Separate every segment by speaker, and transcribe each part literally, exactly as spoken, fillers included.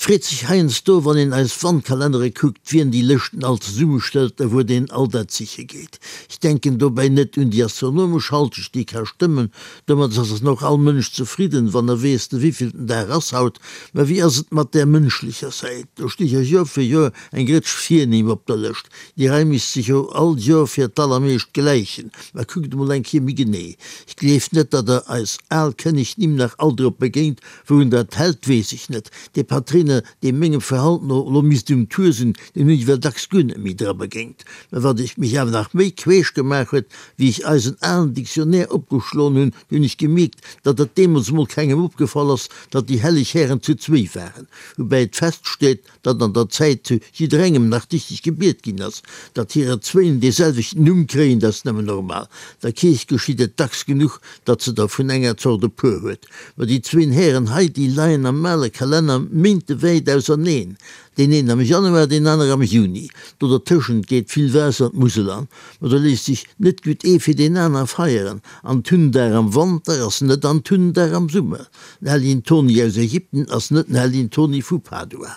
Speaker 1: freet sech heiansdo, wann een eis Wandkalennere kuckt, wien déi Lëschten all zesummestellt a wou deen all dat siche geet. Ech denken dobäi net un déi astronomesch Halschecht, déi ka stëmmen, domat ass och all Mënsch zefridden, wann e weess, de wéivillten Dag ass haut. Mä wéi ass et mat där mënschlecher Säit? Do sti jo Joer fir Joer eng Rëtsch Virnimm op der Lëscht. Déi Rei misst sech jo all Joer fir d'allermeescht gläichen. Mä kuckt emol eng Kéier méi genee. Ech gleef net, datt der eis al Kënnegnimm nach all drop begéint. Wourun dat hält, weess ech net. Dee Patréiner, dee mengem Verhalten no elo misst um Tour sinn, deen hunn ech ewell dacks guer net méi dra begéint. Mä wat ech mech awer nach méi queesch gemaach huet, wéi ech eisen alen Dictionnaire opgeschloen hunn, du hunn ech gemierkt, datt et deemools emol kengem opgefall ass, datt déi helleg Hären zu zwéi waren. Woubäi et feststeet, datt an der Zäit zu jidderengem nach dichteg gebiet ginn ass. Datt hirer zwéin dee selwechten Numm kréien, dat ass nëmmen normal. Der Kierch geschitt et dacks genuch, datt se der vun enger Zort e puer huet. Mä déi zwéin Hären hei, déi leien am ale Kalenner méintewäit auserneen, deen een am Januar, deen aner am Juni. Do dertëschent geet vill Waasser d'Musel an. Mä do léisst sech net gutt ee fir deen aner feieren. Antundag am Wanter ass net Antundag am Summer. Den Helljen Toni aus Ägypten ass net den Helljen Toni vu Padua.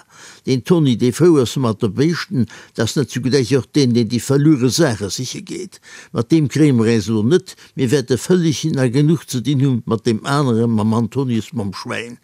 Speaker 1: Deen Toni, dee frou ass mat de Béischten, dat ass net zugläich och deen, deen déi verluere Saache siche geet. Mat deem kréie mer äis elo net. Mir wäerte vëlleg na genuch ze dinn hu mat deem aneren, mam Antonius mam Schwäin.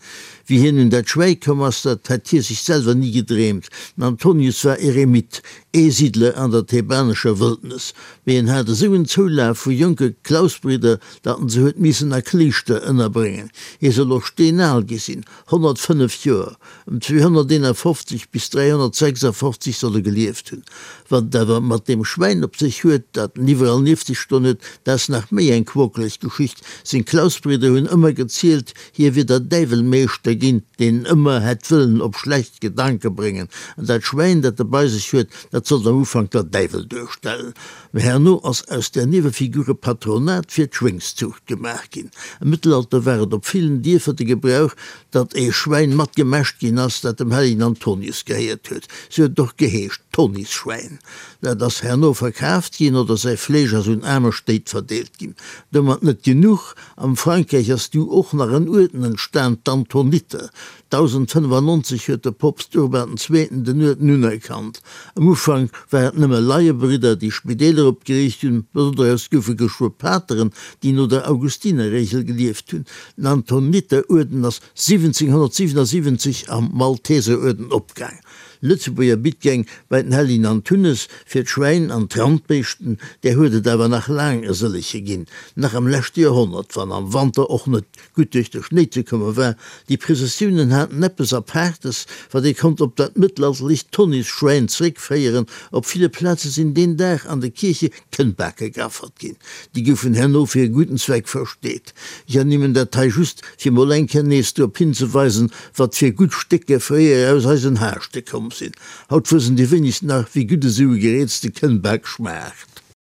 Speaker 1: Wéi hien un dat Schwäi komm ass, dat hätt hie sech selwer ni gedreemt. Den Antonius war Eremit, Eesiddler an der thebanescher Wëldnes. Mee en hat esou en Zoulaf vu jonke Klausbridder, datt en se huet missen a Kléischter ënnerbréngen. Hie soll och steenal gi sinn, honnertfënnef Joer, ëm zweehonnerteenafofzeg bis dräihonnertsechsafofzeg soll e gelieft hunn. Wat et awer mat deem Schwäin op sech huet, dat en iwwerall nieft sech stoen huet, dat ass nach méi eng quokeleg Geschicht. Seng Klausbridder hunn ëmmer gezielt, hie wier der Däiwel Meeschter ginn, deen en ëmmer hätt wëllen op schlecht Gedanke bréngen. An dat Schwäin, dat e bei sech huet, dat sollt am Ufank der Däiwel duerstellen. Mä herno ass aus där Niewefigur e Patronat fir d'Schwéngszuucht gemaach ginn. Am Mëttelalter war et op villen Dierfer de Gebrauch, datt ee Schwäin mat gemäscht ginn ass, dat dem hellegen Antonius gehéiert huet. Sou huet et och geheescht, Tonisschwäin. Dat ass herno verkaaft ginn oder säi Fleesch ass un aarme Stéit verdeelt ginn. Domat net genuch, am Frankräich ass du och nach en Uerden entstan, d'Antoniter. Dausendfënnefannonzeg huet de Poopst Urban den Zweeten den Uerden unerkannt. Am Ufank war et nëmme Laiebridder, déi Spideeler opgeriicht hunn, ma doraus goufe geschwë Pateren, déi no der Augustinerregel gelieft hunn. Den Antoniteruerden ass siwwenzénghonnertsiwenasiwwenzeg am Malteseruerden opgaang. Lëtzebuerger Bittgäng bei den Helljen Antunes fir d'Schwäin an d'Randbéischten, där huet et awer nach laang e sëllege ginn, nach am leschte Joerhonnert, wann am Wanter och net gutt duerch de Schnéi ze komme war. Déi Prëssessiounen haten eppes Apaartes, wat ee konnt op dat mëttelalterlicht Tonnisschwäin zeréckféieren. Op ville Plaze sinn deen Dag an de Kierche Kënnbake geaffert ginn. Déi goufen herno fir e gudden Zweck versteet. Ech ernimmen dat hei just, fir mol eng Kéier nees drop hinzeweisen, wat fir gutt Stécker fréier aus eisen Haaschte komm sinn. Haut wëssen déi wéinegsten nach, wéi gutt esou e gereezte Kënnbak schmaacht.